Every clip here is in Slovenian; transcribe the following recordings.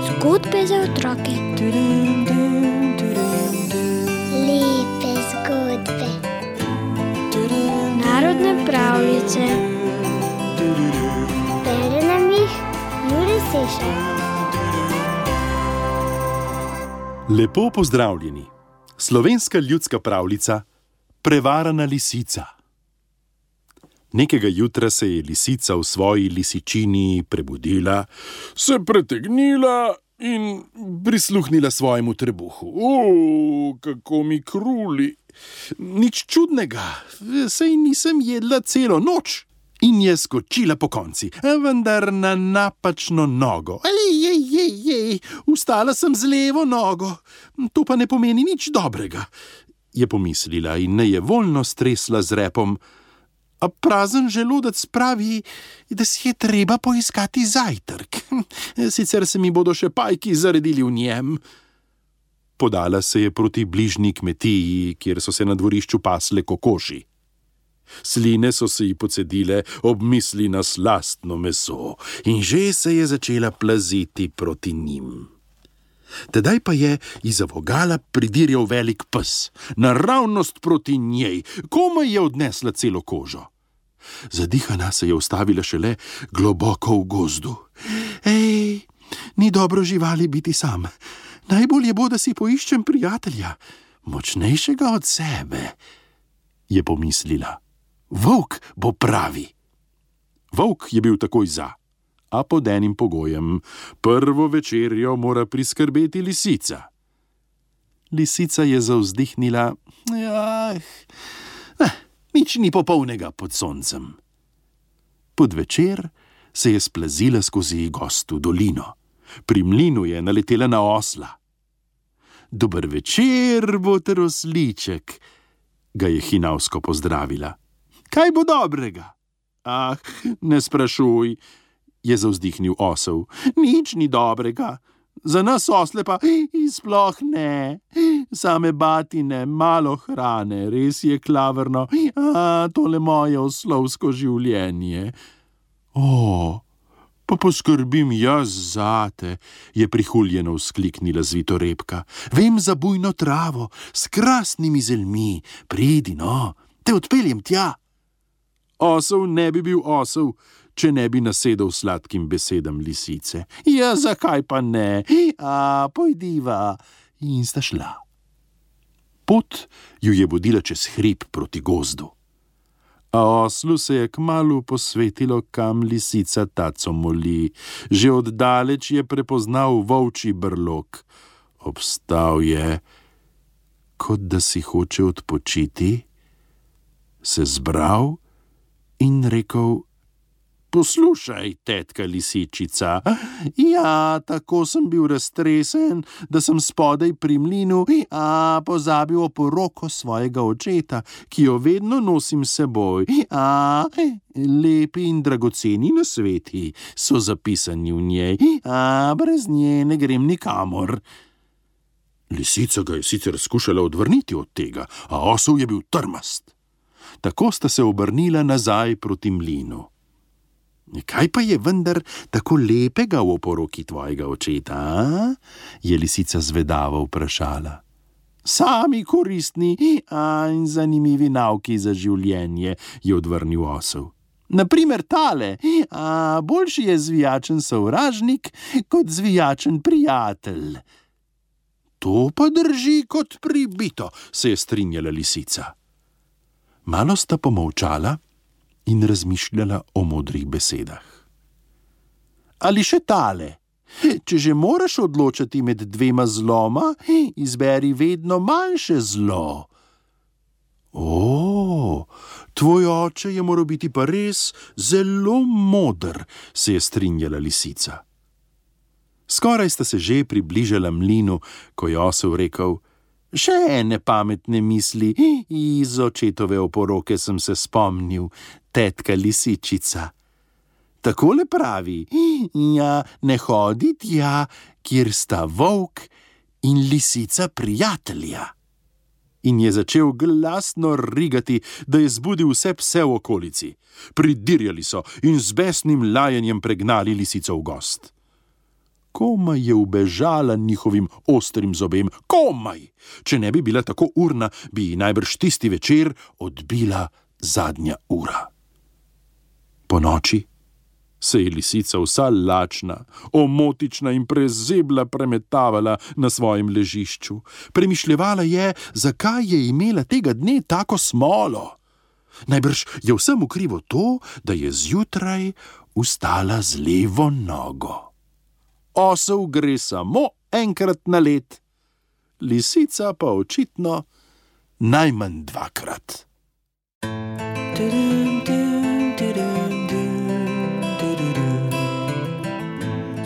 Zgodbe za otroke. Lepe zgodbe. Narodne pravljice. Bere nam jih Jure Sešar. Lepo pozdravljeni. Slovenska ljudska pravljica Prevarana lisica. Nekega jutra se je lisica v svoji lisičini prebudila, se pretegnila in prisluhnila svojemu trebuhu. Kako mi kruli! Nič čudnega, saj nisem jedla celo noč. In je skočila pokonci, vendar na napačno nogo. Vstala sem z levo nogo. To pa ne pomeni nič dobrega, je pomislila in nejevoljno stresla z repom. A prazen želodec pravi, da si je treba poiskati zajtrk. Sicer se mi bodo še pajki zaredili v njem. Podala se je proti bližnji kmetiji, kjer so se na dvorišču pasle kokoši. Sline so se ji pocedile ob misli na slastno meso in že se je začela plaziti proti njim. Tedaj pa je izza vogala pridirjal velik pes, naravnost proti njej, komaj je odnesla celo kožo. Zadihana se je ustavila šele globoko v gozdu. Ni dobro živali biti sam. Najbolje bo, da si poiščem prijatelja, močnejšega od sebe, je pomislila. Volk bo pravi. Volk je bil takoj za, a pod enim pogojem. Prvo večerjo mora priskrbeti lisica. Lisica je zavzdihnila. Nič ni popolnega pod soncem. Pod večer se je splazila skozi gostu dolino. Pri mlinu je naletela na osla. Dober večer, boter osliček, ga je hinavsko pozdravila. Kaj bo dobrega? Ne sprašuj, je zavzdihnil osel. Nič ni dobrega. Za nas osle pa sploh ne. Same batine, malo hrane, res je klavrno. Tole moje oslovsko življenje. Pa poskrbim jaz zate, je prihuljeno vzkliknila zvitorepka. Vem za bujno travo, s krasnimi zelmi. Pridi, no, te odpeljem tja. Osel ne bi bil osel, če ne bi nasedel sladkim besedam lisice. Zakaj pa ne? Pojdiva. In sta šla. Pot ju je vodila čez hrib proti gozdu. A oslu se je kmalu posvetilo, kam lisica taco moli. Že oddaleč je prepoznal volčji brlog. Obstal je, kot da si hoče odpočiti, se zbral in rekel: Poslušaj, tetka lisičica. Tako sem bil raztresen, da sem spodaj pri mlinu pozabil oporoko svojega očeta, ki jo vedno nosim s seboj. Lepi in dragoceni nasveti so zapisani v njej. Brez nje ne grem nikamor. Lisica ga je sicer skušala odvrniti od tega, a osel je bil trmast. Tako sta se obrnila nazaj proti mlinu. Kaj pa je vendar tako lepega v oporoki tvojega očeta, je lisica zvedavo vprašala. Sami koristni in zanimivi nauki za življenje, je odvrnil osel. Na primer tale, boljši je zvijačen sovražnik kot zvijačen prijatelj. To pa drži kot pribito, se je strinjala lisica. Malo sta pomolčala in razmišljala o modrih besedah. Ali še tale? Če že moraš odločati med dvema zloma, izberi vedno manjše zlo. Tvoj oče je moral biti pa res zelo moder, se je strinjala lisica. Skoraj sta se že približala mlinu, ko je osel rekel: Še ene pametne misli iz očetove oporoke sem se spomnil, tetka lisičica. Takole pravi: ne hodi tja, kjer sta volk in lisica prijatelja. in je začel glasno rigati, da je zbudil vse pse v okolici. Pridirjali so in z besnim lajanjem pregnali lisico v gost. Komaj je ubežala njihovim ostrim zobem, komaj! Če ne bi bila tako urna, bi ji najbrž tisti večer odbila zadnja ura. Ponoči se je lisica vsa lačna, omotična in prezebla premetavala na svojem ležišču. Premišljevala je, zakaj je imela tega dne tako smolo. Najbrž je vsemu krivo to, da je zjutraj vstala z levo nogo. Osel gre samo enkrat na let, lisica pa očitno najmanj dvakrat.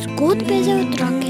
Zgodbe za otroke.